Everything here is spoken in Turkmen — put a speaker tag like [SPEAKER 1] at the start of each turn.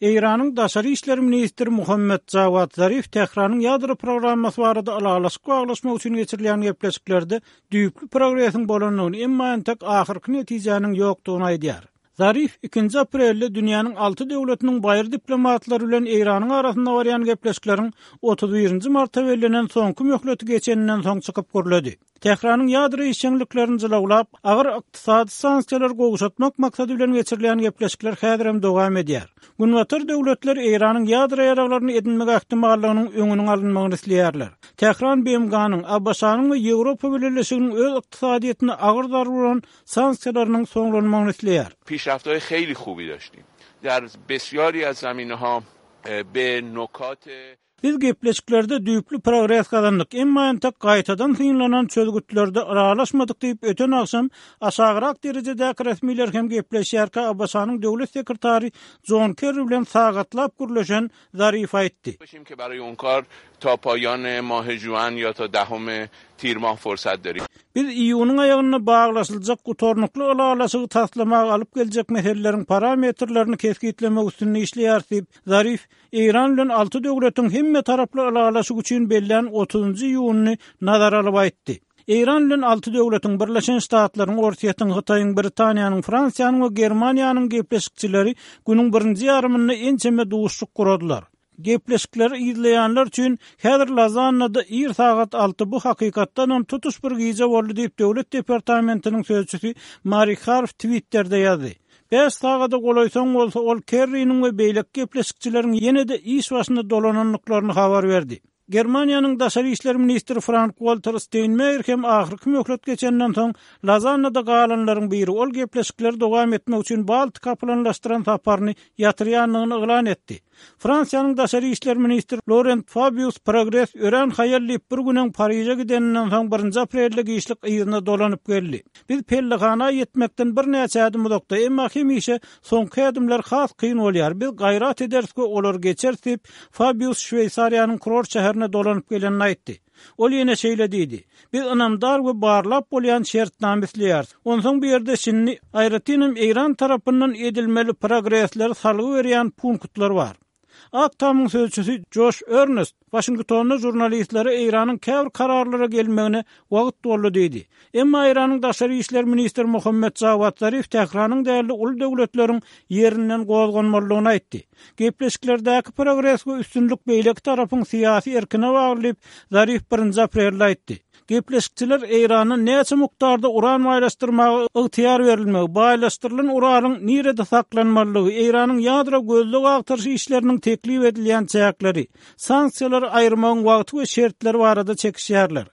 [SPEAKER 1] Eýranyň daşary işler ministri Muhammet Jawad Zarif Tähranyň ýadro programmasy barada ylalaşyk baglaşmak üçin geçirilýän gepleşiklerde düýpli progresiň bolandygyny, emma entek ahyrky netijäniň ýokdugyny aýdýar. Zarif ikinji aprelde dünýäniň alty döwletiniň baýry diplomatlary bilen Eýranyň arasynda barýan gepleşikleriň 31 marta bellenen soňky möhleti geçeninden soň çykyp gürledi. Tähranyň ýadro işjeňliklerini jylawlap, agyr ykdysady sanksiýalary gowşatmak maksady bilen geçirilýän gepleşikler häzirem dowam edýär. Günbatar döwletler Eýranyň ýadro ýaraglaryny edinmek ähtimallygynyň öňüniň alynmagyny isleýärler. Tähran BMG-niň, ABŞ-nyň we Ýewropa Bileleşiginiň öz ykdysadyýetine agyr zarba uran sanksiýalarynyň soňlanmagyny isleýär.
[SPEAKER 2] Pişrafthaý heyli hubi daştim dar besyari az zaminaha be nokat.
[SPEAKER 1] Biz gepleşiklerde düýpli progres gazandyk, emma entek gaýtadan synlanan çözgütlerde ylalaşmadyk diýip, öten agşam aşagrak derejedäki resmiler hem gepleşýärkä ABŞ-nyň döwlet sekretary Jon Kerri bilen sagatlap gürleşen Zarif aýtdy. Biz iýunyň aýagynda baglaşyljak gutarnykly ylalaşygy taslamaga alyp geljek meseleleriň parametrlerini kesgitlemek üstünde işleýäris diýip, Zarif Eýran bilen alty döwletiň hemmetaraply ylalaşyk üçin bellän otuzynjy iýunyny nazara alyp aýtdy. Eýran bilen alty döwletiň, Birleşen Ştatlaryň, Orsýetiň, Hytaýyň, Britaniýanyň, Fransiýanyň we Germaniýanyň gepleşikçileri günüň birinji ýarymynda ençeme duşuşyk guradylar. Gepleşikleri yzlaýanlar üçin häzir Lozannada ir sagat alty, bu hakykatdanam tutuş bir gije boldy diýip, Döwlet departamentiniň sözçüsi Mari Harf Twitterde ýazdy. Bäş sagada golaý soň bolsa ol Kerriniň we beýleki gepleşikçileriň ýene-de iş başyna dolanandyklaryny habar berdi. Germaniýanyň daşary işler ministri Frank-Walter Steýnmeýer hem ahyrky möhlet geçenden soň Lozannada galanlaryň biri, ol gepleşikleri dowam etmek üçin Baltika planlaşdyran saparyny ýatyrýandygyny yglan etdi. Fransiýanyň daşary işler ministri Lorent Fabius progres örän haýal diýip, bir gün öň Pariže gideninden soň birinji aprelde giçlik yzyna dolanyp geldi. Biz pellehana ýetmekden birnäçe ädim uzakda, emma hemişe soňky ädimler has kyn bolýar. Biz gaýrat ederis we olary geçeris diýip, Fabius Şweýsariýanyň kurort şäherine dolanyp gelenini aýtdy. Ol ýene şeýle diýdi, Biz ynamdar we barlap bolýan şertnama isleýäris. Onsoň bu ýerde şindi, aýratynam Eýran tarapyndan edilmeli progresleri salgy berýän punktlar bar. Ak Tamyň sözçüsi Joş Ernest Waşingtonda žurnalistlere Eýranyň käbir kararlara gelmegine wagt boldy diýdi. Emma Eýranyň daşary işler ministri Mohammed Jawad Zarif Tähranyň däl-de uly döwletleriň ýerinden gozganmalydygyny aýtdy. Gepleşiklerdäki progres we üstünlik beýleki tarapyň syýasy erkine bagly diýip, Zarif birinji aprelde aýtdy. Gepleşikçiler Eýrana näçe mukdarda uran baýlaşdyrmaga ygtyýar berilmegi, baýlaşdyrylan uranyň nirede saklanmalydygy, Eýranyň ýadro gözleg-agtaryş işleriniň teklip edilýän çäkleri, sanksiýalary aýyrmagyň wagty we şertleri barada çekişýärler.